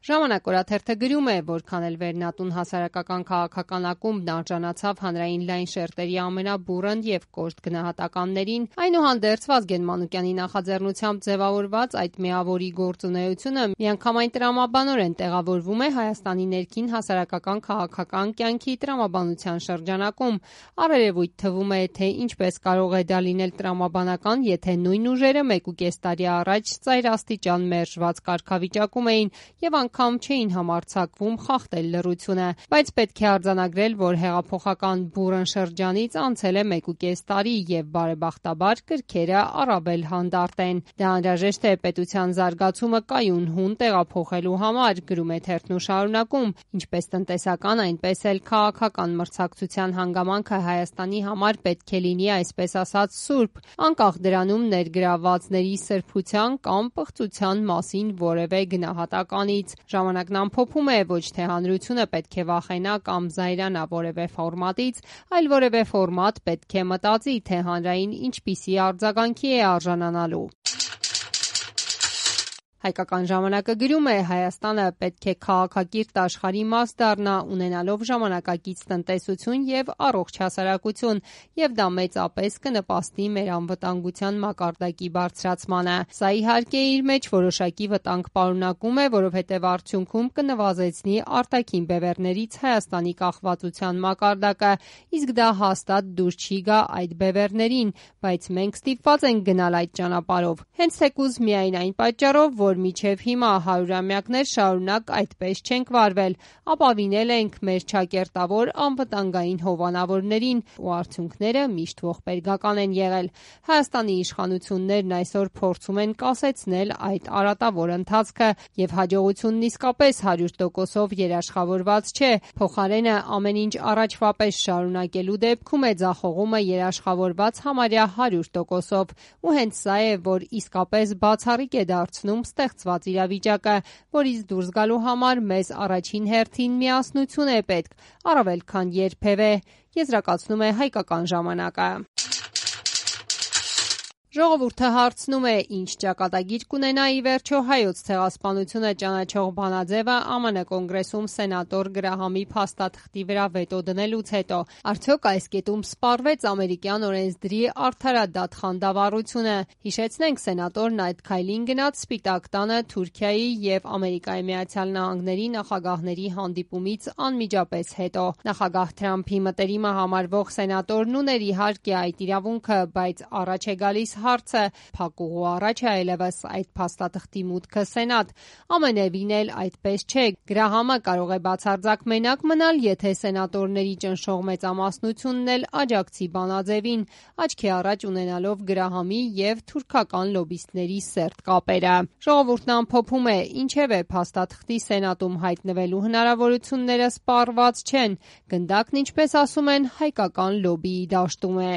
Ժամանակ օրաթերթը գրում է, որքան էլ վերնատուն հասարակական քաղաքական ակումբն արժանացավ հանրային լայն շերտերի ամենաբուռն եւ կոշտ գնահատականներին, այնուհանդերձ Վազգեն Մանուկյանի նախաձեռնությամբ ձևավորված այդ միավորի գործունեությունը միանգամայն տրամաբանորեն տեղավորվում է Հայաստանի ներքին հասարակական քաղաքական կյանքի տրամաբանության շրջանակում։ Առերևույթ թվում է, թե ինչպես կարող է դա լինել տրամաբանական, եթե նույն ուժերը 1.5 տարի առաջ ծայրաստիճան մերժված կարգավիճակում էին եւ անգամ չէին համարձակվում խախտել լռությունը, բայց պետք է արձանագրել, որ հեղափոխական բուռն շրջանից անցել է 1.5 տարի եւ բարեբախտաբար կրքերը առավել հանդարտ են։ Դա անհրաժեշտ է պետության զարգացումը կայուն հուն տեղափոխելու համար, գրում է թերթն ու շարունակում, ինչպես տնտեսական, այնպես էլ քաղաքական մրցակցության հանգամանքը Հայաստանի համար պետք է լինի այսպես ասած սուրբ, անկախ դրանում ներգրավվածների սրբության կամ պղծության մասին որևէ գնահատականից։ Ժամանակն ամփոփում է, ոչ թե հանրությունը պետք է վախենա կամ զայրանա որևէ ֆորմատից, այլ որևէ ֆորմատ պետք է մտածի, թե հանրային ինչպիսի արձագանքի է արժանանալու։ Հայկական ժամանակը գրում է, Հայաստանը պետք է քաղաքակիրթ աշխարհի մաս դառնա, ունենալով ժամանակակից տնտեսություն եւ առողջ հասարակություն, եւ դա մեծապես կնպաստի մեր անվտանգության մակարդակի բարձրացմանը։ Սա իհարկե իր մեջ որոշակի վտանգ պարունակում է, որովհետեւ արդյունքում կնվազեցնի արտաքին բևեռներից Հայաստանի կախվածության մակարդակը, իսկ դա հաստատ դուր չի գա այդ բևեռներին, բայց մենք ստիպված ենք գնալ այդ ճանապարհով։ Հենց թեկուզ միայն այն պատճառով, որ մինչև հիմա 100-ամյակներ շարունակ այդպես չենք վարվել, ապավինել ենք մեր չակերտավոր անվտանգային հովանավորներին ու արդյունքները միշտ ողբերգական են եղել։ Հայաստանի իշխանություններն այսօր փորձում են կասեցնել այդ արատավոր ընթացքը եւ հաջողությունն իսկապես 100%-ով երաշխավորված չէ, փոխարենը ամեն ինչ առաջվա պես շարունակելու դեպքում է ձախողումը երաշխավորված համարյա 100%-ով ու հենց սա է, որ իսկապես բացառիկ է դարձնում ստեղծված իրավիճակը, որից դուրս գալու համար մեզ առաջին հերթին միասնություն է պետք, առավել քան երբևէ, եզրակացնում է Հայկական ժամանակը։ Ժողովուրդը հարցնում է, ինչ ճակատագիր կունենա ի վերջո հայոց ցեղասպանությունը ճանաչող բանաձևը ԱՄՆ կոնգրեսում սենատոր Գրահամի փաստաթղթի վրա վետո դնելուց հետո։ Արդյոք այս կետում սպառվեց ամերիկյան օրենսդրի արդարադատ խանդավառությունը։ Հիշեցնենք, սենատորն այդ քայլին գնաց Սպիտակ տանը Թուրքիայի եւ Ամերիկայի Միացյալ Նահանգների նախագահների հանդիպումից անմիջապես հետո։ Նախագահ Թրամփի մտերիմը համարվող սենատորն ուներ իհարկե այդ իրավունքը, բայց առաջ է գալիս հարցը, փակուղու առաջ է այլևս այդ փաստաթղթի մուտքը սենատ։ Ամենևին էլ այդպես չէ։ Գրահամը կարող է բացարձակ մենակ մնալ, եթե սենատորների ճնշող մեծամասնությունն էլ աջակցի բանաձևին, աչքի առաջ ունենալով Գրահամի եւ թուրքական լոբբիստների սերտ կապերը։ Ժողովուրդն ամփոփում է, ինչևէ փաստաթղթի սենատում հայտնվելու հնարավորությունները սպառված չեն։ Գնդակն, ինչպես ասում են, հայկական լոբբիի դաշտում է։